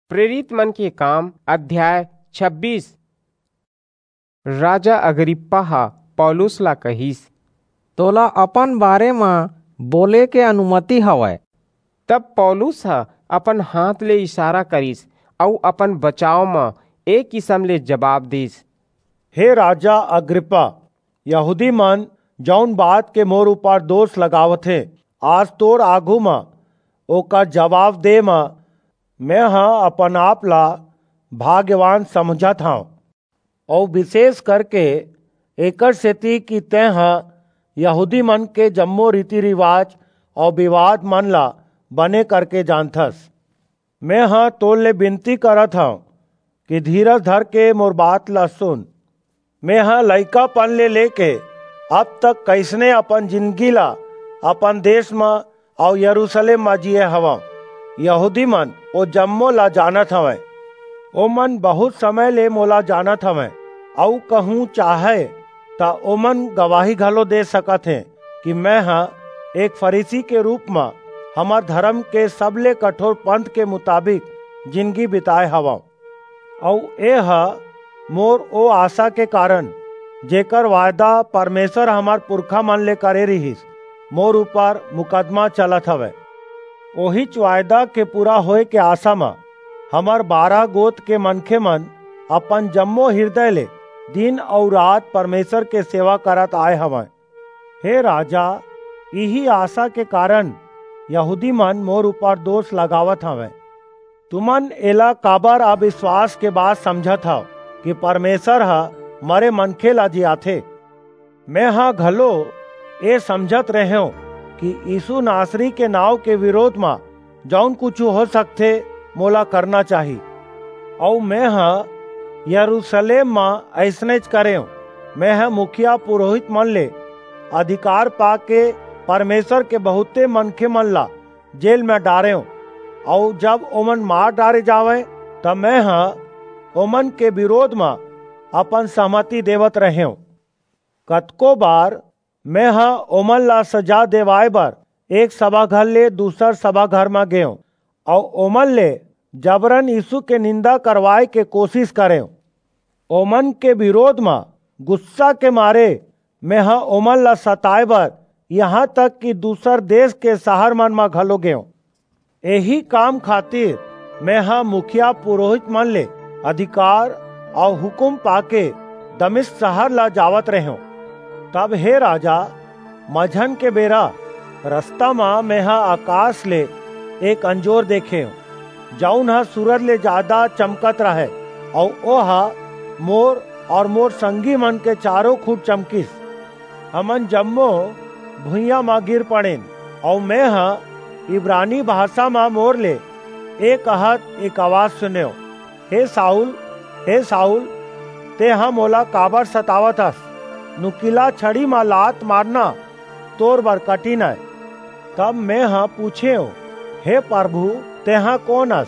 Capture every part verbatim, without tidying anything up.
प्रेरित मन के काम, अध्याय छब्बीस। राजा अग्रिप्पा ह पौलुस ला कहिस, "तोला अपन बारे म बोले के अनुमति हवय।" तब पौलुस ह अपन हाथ ले इशारा करिस अऊ अपन बचाव म ए किसम ले जबाब दिस, "हे राजा अग्रिप्पा, यहूदी मन जऊन बात के मोर ऊपर दोष लगावथे, आज तोर आघू म ओकर जबाब दे म मेंह अपन आप ला भाग्यवान समझत हंव, अऊ विशेष करके एकर सेति कि तेंह यहूदी मन के जम्मो रीति-रिवाज अऊ विवाद मन ला बने करके जानथस। मेंह तोर ले बिनती करत हंव कि धीरज धरके मोर बात ला सुन। मेंह लइकापन ले लेके अब तक कइसने अपन जिनगी ला अपन देस म अऊ यरूसलेम म जीए हवंव। यहूदी मन ओ जम्मो ला जानत हवंय। ओमन बहुंत समय ले मोला जानत हवंय, अऊ कहूं चाहय, त ओमन गवाही घलो दे सकत हें कि मेंह एक फरीसी के रूप म हमर धरम के सबले कठोर पंथ के मुताबिक जिनगी बिताय हवंव। अऊ एह मोर ओ आसा के कारन, जेकर वायदा परमेसर हमर पुरखा मन ले करे रिहिस, मोर ऊपर मुकदमा चलत हवय। ओहीच वायदा के पूरा होय के आसा म हमर बारह गोत के मनखे मन अपन जम्मो हिरदय ले दिन अऊ रात परमेसर के सेवा करत आय हवंय। हे राजा, इही आसा के कारन यहूदी मन मोर ऊपर दोष लगावत हवंय। तुमन एला काबर अबिसवास के बात समझत हव कि परमेसर ह मरे मनखे ला जियाथे? मेंह घलो ए समझत रेहेंव कि यीसू नासरी के नांव के बिरोध म जऊन कुछू हो सकथे, मोला करना चाही। अऊ मेंह यरूसलेम म अइसनेच करेंव। मेंह मुखिया पुरोहित मन ले अधिकार पाके परमेसर के बहुंते मनखे मन ला जेल म डारेंव, अऊ जब ओमन मार डारे जावंय, त मेंह ओमन के बिरोध म अपन सहमति देवत रेहेंव। कतको बार मेंह ओमन ला सजा देवाय बर एक सभाघर ले दूसर सभाघर म गेंव, अऊ ओमन ले जबरन यीसू के निंदा करवाय के कोसिस करेंव। ओमन के बिरोध म गुस्सा के मारे मेंह ओमन ला सताय बर, इहां तक कि दूसर देस के सहर मन म घलो गेंव। एही काम खातिर मेंह मुखिया पुरोहित मन ले अधिकार अऊ हुकूम पाके दमिश्क सहर ला जावत रेहेंव। तब हे राजा, मझन के बेरा रसता म मेंह अकास ले एक अंजोर देखेंव, जऊन ह सूरज ले जादा चमकत रहय, अऊ ओह मोर अऊ मोर संगी मन के चारों खूंट चमकिस। हमन जम्मो भुइयां म गिर पड़ेन, अऊ मेंह इब्रानी भासा म मोर ले ए कहत एक अवाज सुनेंव, "हे साऊल, हे साऊल, तेंह मोला काबर सतावत हस? नुकीला छड़ी म लात मारना तोर बर कठिन अय।" तब मेंह पूछेंव, "हे परभू, तेंह कोन अस?"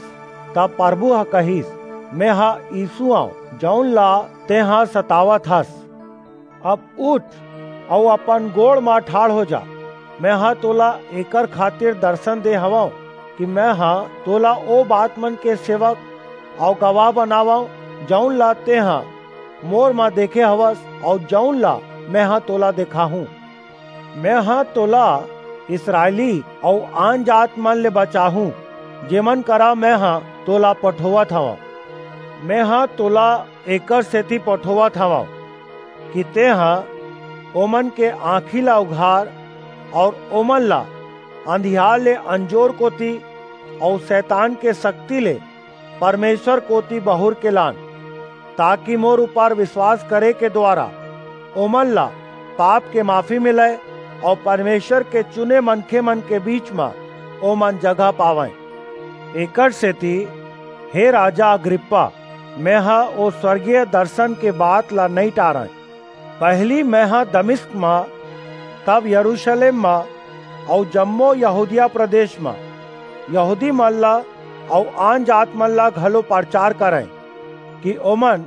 तब परभू ह कहिस, "मेंह यीसू अंव, जऊन ला तेंह सतावत हस। अब उठ अऊ अपन गोड़ म ठाढ़ हो जा। मेंह तोला एकर खातिर दरसन दे हवंव कि मेंह तोला ओ बात मन के सेवक अऊ गवाह बनावंव, जऊन ला तेंह मोर म देखे हवस अऊ जऊन ला मेंह तोला देखाहूं। मेंह तोला इसरायली अऊ आनजात मन ले बचाहूं, जेमन करा मेंह तोला पठोवत हवंव। मेंह तोला एकर सेति पठोवत हवंव कि तेंह ओमन के आंखी ला उघार अऊ ओमन ला अंधियार ले अंजोर कोति अऊ सैतान के सक्ति ले परमेसर कोति बहुर के लान, ताकि मोर ऊपर बिसवास करे के दुवारा ओमन ला पाप के माफी मिलय अऊ परमेसर के चुने मनखे मन के बीच म ओमन जगह पावंय। एकर सेति, हे राजा अग्रिप्पा, मेंह ओ स्वर्गीय दरसन के बात ला नइं टारंय। पहिली मेंह दमिश्क म, तब यरूसलेम म, अऊ जम्मो यहूदिया प्रदेस म यहूदी मन ला अऊ आनजात मन ला घलो परचार करंय कि ओमन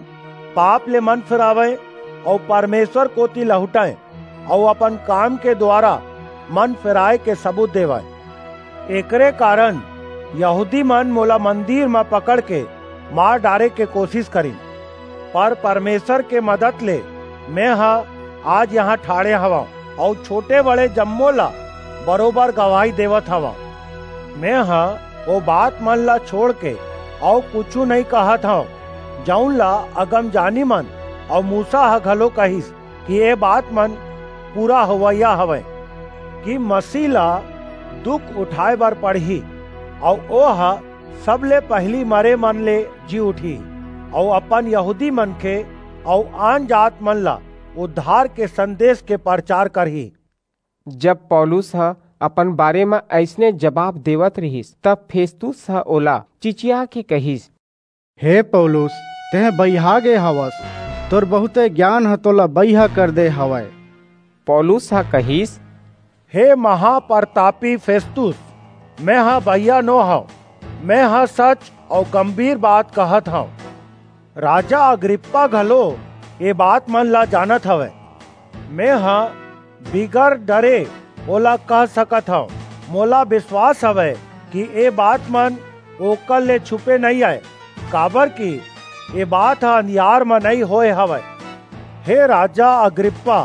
पाप ले मन फिरावंय अऊ परमेसर कोति लहुटंय अऊ अपन काम के दुवारा मन फिराय के सबूत देवंय। एकरे कारन यहूदी मन मोला मंदिर म पकड़ के मार डारे के कोशिश करिन, पर परमेश्वर के मदद ले मेंह आज इहां ठाढ़े हवंव, अऊ छोटे-बड़े जम्मो ला बरोबर गवाही देवत हवंव। मेंह ओ बात मन ला छोड़ के अऊ कुछू नइं कहत हंव, जऊन ला अगमजानी मन अऊ मूसा ह घलो कहिस कि ए बात मन पूरा होवइया हवंय कि मसीह ला दुख उठाय बर पड़ही, अऊ ओह सबले पहिली मरे मन ले जी उठही, अऊ अपन यहूदी मनखे अऊ आनजात मन ला उद्धार के संदेस के परचार करही। जब पौलुस ह अपन बारे म अइसने जबाब देवत रिहिस, तब फेस्तुस ह ओला चिचियाके कहिस, हे पौलुस, तेंह बइहा गे हवस, तोर बहुंते गियान ह तोला बइहा कर दे हवय। पौलुस ह कहिस, हे महापरतापी फेस्तुस, मेंह बइहा नो हंव, मेंह सच अऊ गंभीर बात कहत हंव। राजा अग्रिप्पा घलो ए बात मन ला जानत हवय। मेंह बिगर डरे ओला कह सकत हंव, मोला बिसवास हवय कि ए बात मन ओकर ले छुपे नइं अंय, काबरकि ए बात ह अंधियार म नइं होय हवय। हे राजा अग्रिप्पा,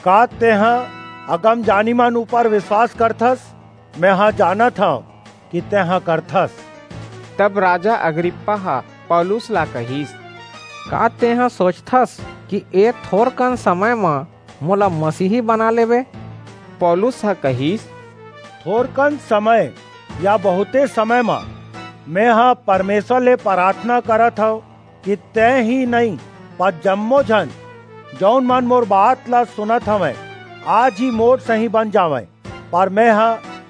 का तेंह अगमजानी मन ऊपर बिसवास करथस? मेंह जानत हंव कि तेंह करथस। तब राजा अग्रिप्पा ह पौलुस ला कहिस, का तेंह सोचथस कि ए थोरकन समय म मोला मसीही बना लेबे? पौलुस ह कहिस, थोरकन समय या बहुंते समय म मेंह परमेश्वर ले पराथना करत हंव कि तेंह ही नइं, पर जम्मो झन, जऊन मन मोर बात ला सुनत हवंय, आज ही मोर सहीं बन जावंय। पर मेंह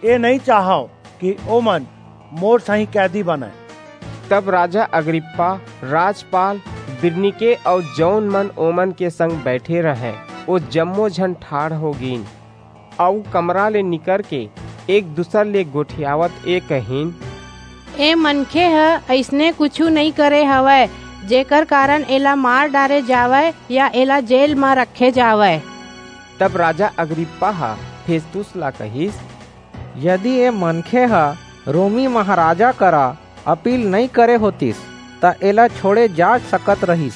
ए नइं चाहंव कि ओमन मोर सहीं कैदी बनंय। तब राजा अग्रिप्पा, राजपाल बिरनीके अऊ जऊन मन ओमन के संग बईठे रहंय, ओ जम्मो झन ठाढ़ हो गीन, अऊ कमरा ले निकरके एक-दूसर ले गोठियावत ए कहिन, ए मनखे ह अइसने कुछू नइं करे हवय, जेकर कारन एला मार डारे जावय या एला जेल म रखे जावय। तब राजा अग्रिप्पा ह फेस्तुस ला कहिस, यदि ए मनखे ह रोमी महाराजा करा अपील नइं करे होतिस, त एला छोड़े जा सकत रहिस,